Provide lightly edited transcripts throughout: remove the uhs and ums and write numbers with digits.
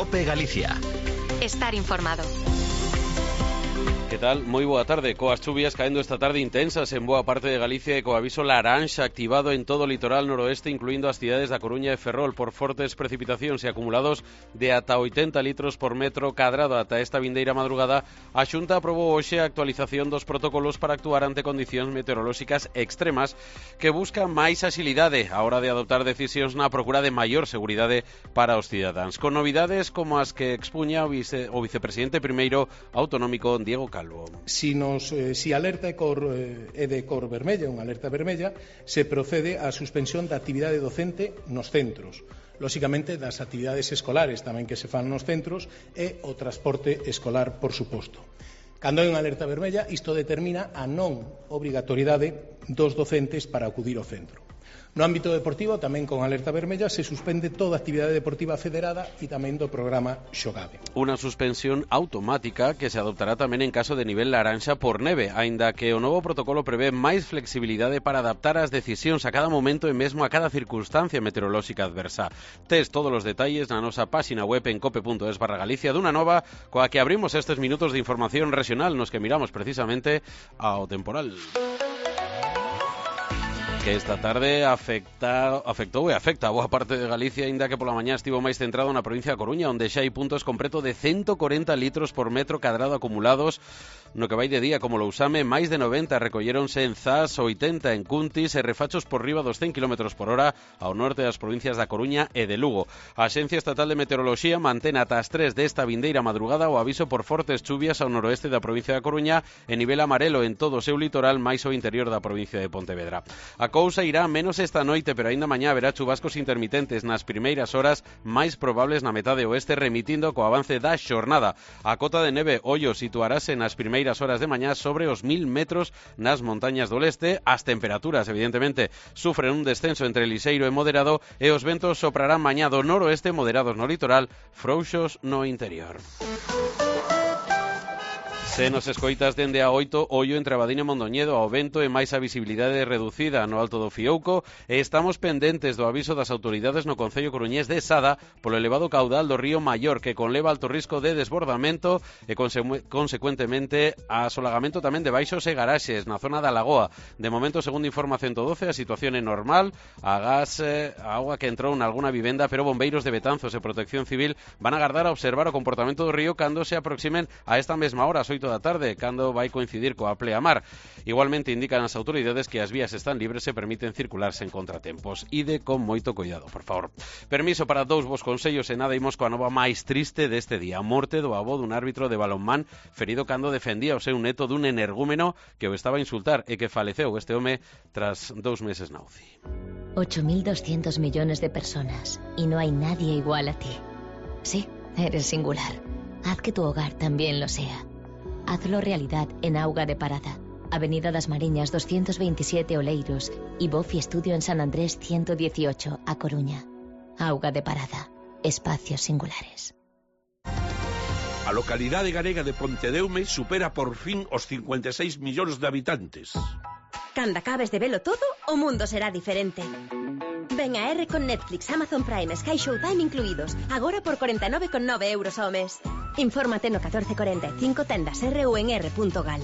COPE Galicia. Estar informado. Que tal? Moi boa tarde. Coas chuvias caendo esta tarde intensas en boa parte de Galicia e co aviso laranxa activado en todo o litoral noroeste, incluindo as cidades da Coruña e Ferrol, por fortes precipitacións e acumulados de ata 80 litros por metro cadrado ata esta vindeira madrugada. A Xunta aprobou hoxe a actualización dos protocolos para actuar ante condicións meteorolóxicas extremas que buscan máis axilidade a hora de adoptar decisións na procura de maior seguridade para os cidadáns, con novidades como as que expuña o vicepresidente primeiro autonómico Diego Calvo. Si alerta é de cor vermella, unha alerta vermella, se procede á suspensión da actividade docente nos centros, lóxicamente das actividades escolares tamén que se fan nos centros e o transporte escolar, por suposto. Cando hai unha alerta vermella, isto determina a non obrigatoriedade dos docentes para acudir ao centro. No ámbito deportivo, tamén con alerta vermella, se suspende toda actividade deportiva federada e tamén do programa Xogade. Unha suspensión automática que se adoptará tamén en caso de nivel laranxa por neve, aínda que o novo protocolo prevé máis flexibilidade para adaptar as decisións a cada momento e mesmo a cada circunstancia meteorolóxica adversa. Tes todos os detalles na nosa páxina web en cope.es/Galicia dunha nova coa que abrimos estes minutos de información regional nos que miramos precisamente ao temporal que esta tarde afectou e afecta a boa parte de Galicia, aínda que pola mañá estivo máis centrado na provincia da Coruña, onde xa hai puntos con preto de 140 litros por metro cadrado acumulados. No que vai de día, como Lousame, máis de 90 recolléronse en Zas, 80 en Cuntis e refachos por riba dos 100 km por hora ao norte das provincias da Coruña e de Lugo. A Axencia Estatal de Meteoroloxía mantén ata as 3 desta vindeira madrugada o aviso por fortes chuvias ao noroeste da provincia da Coruña e nivel amarelo en todo o seu litoral máis ao interior da provincia de Pontevedra. A cousa irá menos esta noite, pero aínda mañá haberá chubascos intermitentes nas primeiras horas máis probables na metade oeste, remitindo co avance da xornada. A cota de neve ollo situarase nas primeiras horas de mañá sobre os 1000 metros nas montañas do leste. As temperaturas, evidentemente, sufren un descenso entre lixeiro e moderado e os ventos soprarán mañá do noroeste, moderados no litoral, frouxos no interior. Se nos escoitas dende a 8, ollo entre Abadín e Mondoñedo ao vento e máis a visibilidade reducida no Alto do Fiouco, e estamos pendentes do aviso das autoridades no concello coruñés de Sada polo elevado caudal do río Maior, que conleva alto risco de desbordamento e consecuentemente asolagamento tamén de baixos e garaxes na zona da Lagoa. De momento, segundo informa 112, a situación é normal, a auga que entrou nalguna vivenda, pero bombeiros de Betanzos e Protección Civil van agardar a observar o comportamento do río cando se aproximen a esta mesma hora, 8 da tarde, cando vai coincidir coa pleamar. Igualmente indican as autoridades que as vías están libres e permiten circular sen contratempos. Ide con moito cuidado, por favor. Permiso para dous vos consellos e nada, imos coa nova máis triste deste día. A morte do avó dun árbitro de balonmán ferido cando defendía o seu neto dun energúmeno que o estaba a insultar e que faleceu este home tras 2 meses na UCI. 8.200 millones de personas y no hay nadie igual a ti. Sí, eres singular. Haz que tu hogar también lo sea. Hazlo realidad en Auga de Parada, Avenida das Mariñas 227 Oleiros y Bofi Estudio en San Andrés 118, A Coruña. Auga de Parada, espacios singulares. A localidade galega de Pontedeume supera por fin os 56 millóns de habitantes. Cando acabes de velo todo, o mundo será diferente. Ven a R con Netflix, Amazon Prime, Sky Showtime incluídos, agora por 49,9 euros ao mes. Infórmate no 1445 tendas R ou en r.gal.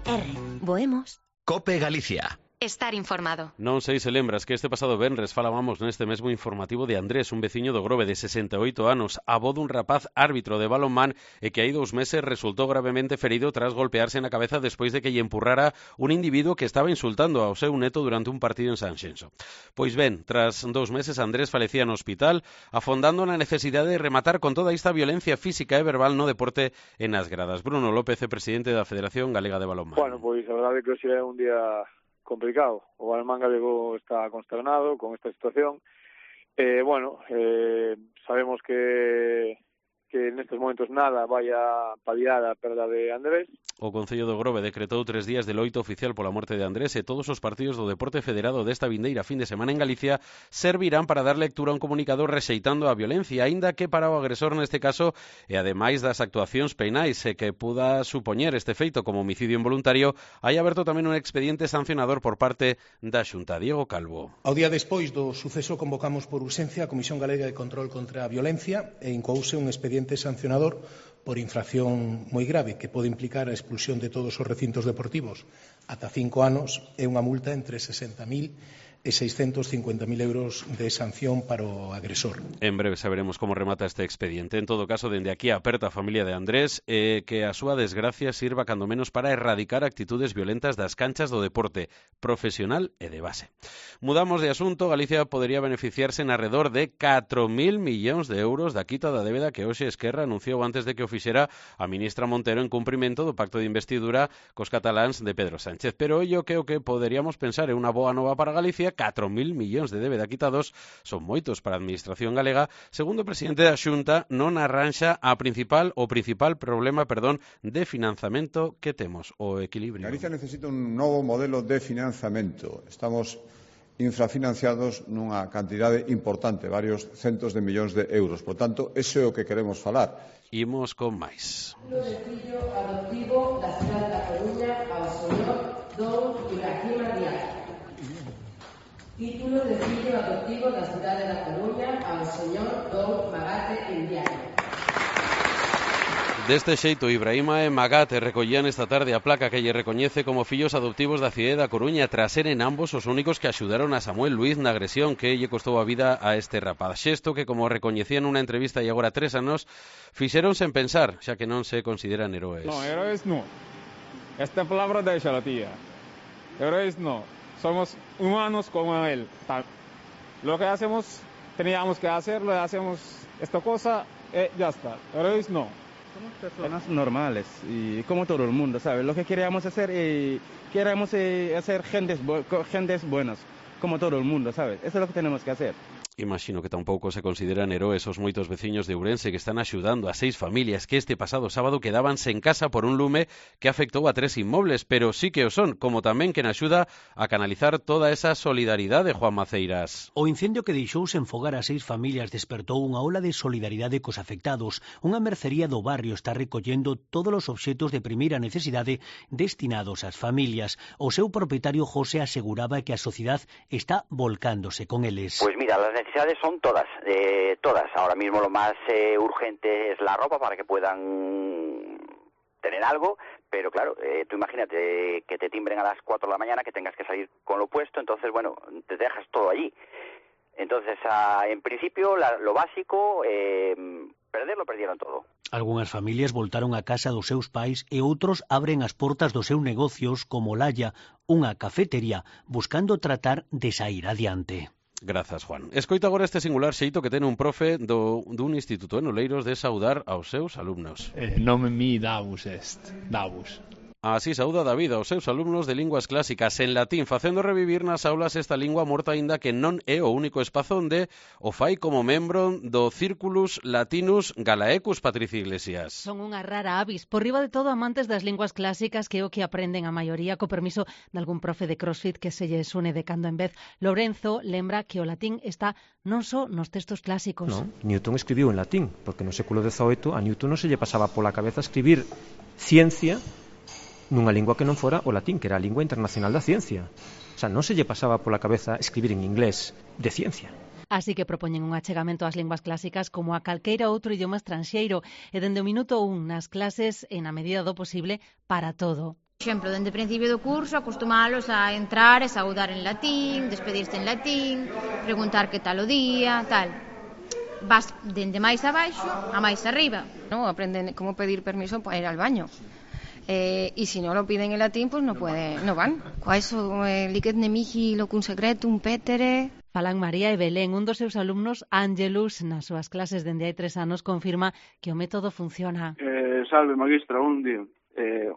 R, voemos. COPE Galicia. Estar informado. Non sei se lembras que este pasado venres falábamos neste mesmo informativo de Andrés, un veciño do Grove de 68 anos, avó dun rapaz árbitro de balonmán e que hai 2 meses resultou gravemente ferido tras golpearse na cabeza despois de que lle empurrara un individuo que estaba insultando ao seu neto durante un partido en Sanxenxo. Pois ben, tras 2 meses Andrés falecía no hospital, afondando na necesidade de rematar con toda esta violencia física e verbal no deporte e nas gradas. Bruno López é presidente da Federación Galega de Balonmán. Bueno, pois a verdade é que hoxe é un día complicado. O balonmán galego está consternado con esta situación. Sabemos que nestes momentos nada vai a paliar a perda de Andrés. O Concello do Grove decretou 3 días de loito oficial pola morte de Andrés e todos os partidos do deporte federado desta vindeira fin de semana en Galicia servirán para dar lectura a un comunicado rexeitando a violencia, aínda que para o agresor neste caso, e ademais das actuacións penais e que puda supoñer este feito como homicidio involuntario, hai aberto tamén un expediente sancionador por parte da Xunta. Diego Calvo. Ao día despois do suceso convocamos por urxencia a Comisión Galega de Control contra a Violencia e incouse un expediente expediente sancionador por infracción moi grave que pode implicar a expulsión de todos os recintos deportivos ata 5 anos e unha multa entre 60.000 e 650.000 euros de sanción para o agresor. En breve saberemos como remata este expediente. En todo caso, dende aquí aperta a familia de Andrés que a súa desgracia sirva cando menos para erradicar actitudes violentas das canchas do deporte profesional e de base. Mudamos de asunto. Galicia podería beneficiarse en arredor de 4.000 millóns de euros da quita da débeda que hoxe Esquerra anunciou antes de que o fixera a ministra Montero en cumprimento do pacto de investidura cos cataláns de Pedro Sánchez. Pero ollo que o que poderíamos pensar é unha boa nova para Galicia. 4.000 millóns de débeda quitados son moitos para a administración galega. Segundo o presidente da Xunta, non arranxa o principal problema, de financiamento que temos, o equilibrio. Galicia necesita un novo modelo de financiamento. Estamos infrafinanciados nunha cantidade importante, varios centos de millóns de euros. Por tanto, ese é o que queremos falar. Imos con máis. Título de fillo adoptivo da cidade da Coruña ao señor Don Ibrahim Diaz. Título de fillo adoptivo da cidade da Coruña ao señor Don Magate Indiano. Deste xeito, Ibrahima e Magate recollían esta tarde a placa que lle recoñece como fillos adoptivos da cidade da Coruña tras seren ambos os únicos que axudaron a Samuel Luiz na agresión que lle costou a vida a este rapaz. Xesto que, como recoñecían nunha entrevista e agora 3 anos, fixeron sen pensar, xa que non se consideran heróes. No, héroes no. Esta palabra déxala, tía. Héroes no. Somos humanos como él. Lo que hacemos, teníamos que hacer, lo hacemos esta cosa, ya está. Héroes no. Somos personas normales y como todo el mundo, ¿sabes? Lo que queremos hacer hacer gentes buenas, como todo el mundo, ¿sabes? Eso es lo que tenemos que hacer. Imagino que tampouco se consideran heroes os moitos veciños de Ourense que están axudando a 6 familias que este pasado sábado quedábanse en casa por un lume que afectou a 3 inmobles, pero sí que o son, como tamén quen axuda a canalizar toda esa solidaridade, Juan Maceiras. O incendio que deixou sen fogar a 6 familias despertou unha ola de solidaridade cos afectados. Unha mercería do barrio está recollendo todos os obxetos de primeira necesidade destinados ás familias. O seu propietario José aseguraba que a sociedade está volcándose con eles. Pues mira, las necesidades son todas. Ahora mismo lo más urgente es la ropa para que puedan tener algo, pero claro, tú imagínate que te timbren a las 4 de la mañana, que tengas que salir con lo puesto, entonces bueno, te dejas todo allí. Entonces, en principio, lo básico, lo perdieron todo. Algunhas familias voltaron a casa dos seus pais e outros abren as portas dos seus negocios como Laya, unha cafetería, buscando tratar de sair adiante. Grazas, Juan. Escoita agora este singular xeito que ten un profe dun instituto en Oleiros de saudar aos seus alumnos. Nome mi Davus est, Davus. Así sauda David aos seus alumnos de linguas clásicas en latín, facendo revivir nas aulas esta lingua morta aínda que non é o único espazo onde o fai como membro do Círculus Latinus Galaecus, Patricia Iglesias. Son unha rara avis, por riba de todo amantes das linguas clásicas que é o que aprenden a maioría, co permiso de algún profe de CrossFit que se lles une de cando en vez. Lorenzo lembra que o latín está non só nos textos clásicos. Non, Newton escribiu en latín, porque no século XVIII a Newton non se lle pasaba pola cabeza escribir ciencia nunha lingua que non fora o latín, que era a lingua internacional da ciencia. O sea, non se lle pasaba pola cabeza escribir en inglés de ciencia. Así que propoñen un achegamento ás linguas clásicas como a calqueira outro idioma estranxeiro e dende o minuto 1 nas clases e na medida do posible para todo. Por exemplo, dende o principio do curso acostumalos a entrar e saudar en latín, despedirse en latín, preguntar que tal o día, tal. Vas dende máis abaixo a máis arriba. No, aprenden como pedir permiso para ir al baño. Y si no lo piden en latín, pues no van. Quaeso licet nemici locum secretum petere. Falan María e Belén, un dos seus alumnos, Ángelus, nas súas clases dende hai 3 anos, confirma que o método funciona. Salve, magistra, un día.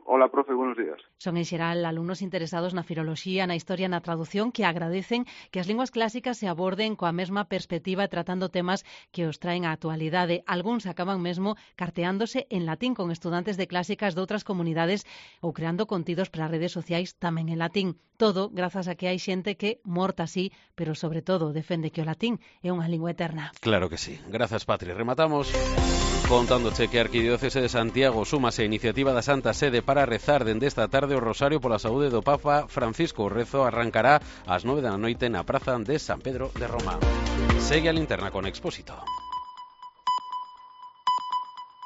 Hola, profe, buenos días. Son en xeral alumnos interesados na filoloxía, na historia, na traducción, que agradecen que as linguas clásicas se aborden coa mesma perspectiva e tratando temas que os traen á actualidade. Algúns acaban mesmo carteándose en latín con estudantes de clásicas de outras comunidades ou creando contidos para redes sociais tamén en latín. Todo grazas a que hai xente que, morta así, pero sobre todo defende que o latín é unha lingua eterna. Claro que sí. Grazas, Patri. Rematamos contándoche que a Arquidiocese de Santiago súmase a iniciativa da Santa Sede para rezar dende esta tarde o Rosario pola saúde do Papa Francisco. O rezo arrancará ás 9 da noite na praza de San Pedro de Roma. Segue a linterna con Expósito.